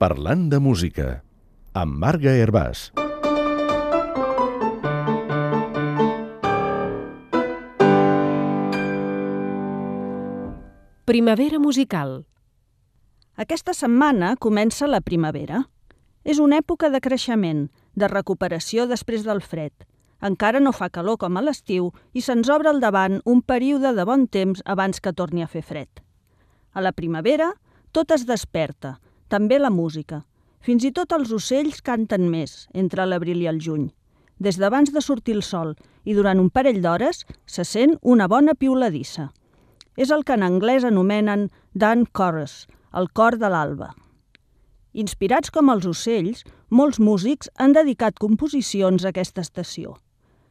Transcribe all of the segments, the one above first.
Parlant de música, amb Marga Hervàs. Primavera musical. Aquesta setmana comença la primavera. És una època de creixement, de recuperació després del fred. Encara no fa calor com a l'estiu i se'ns obre al davant un període de bon temps abans que torni a fer fred. A la primavera, tot es desperta, també la música. Fins i tot els ocells canten més, entre l'abril i el juny. Des d'abans de sortir el sol i durant un parell d'hores se sent una bona piuladissa. És el que en anglès anomenen dawn chorus, el cor de l'alba. Inspirats com els ocells, molts músics han dedicat composicions a aquesta estació.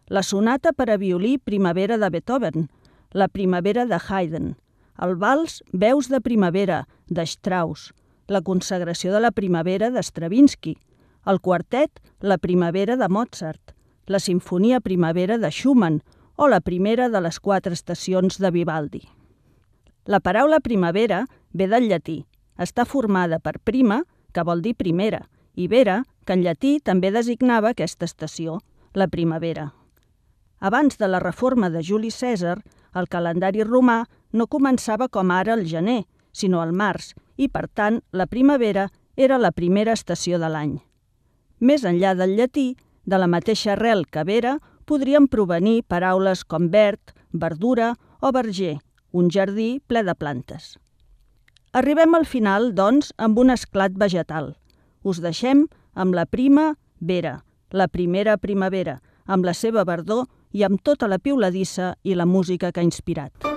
La sonata per a violí Primavera de Beethoven, la Primavera de Haydn, el vals Veus de primavera de Strauss, la consagració de la primavera de Stravinsky, el quartet La primavera de Mozart, la sinfonia Primavera de Schumann o la primera de les 4 estacions de Vivaldi. La paraula primavera ve del llatí. Està formada per prima, que vol dir primera, i vera, que en llatí també designava aquesta estació, la primavera. Abans de la reforma de Juli Cèsar, el calendari romà no començava com ara al gener, sinó al març, i per tant la primavera era la primera estació de l'any. Més enllà del llatí, de la mateixa arrel que vera, podrien provenir paraules com verd, verdura o verger, un jardí ple de plantes. Arribem al final, doncs, amb un esclat vegetal. Us deixem amb la primavera, la primera primavera, amb la seva verdor i amb tota la piuladissa i la música que ha inspirat.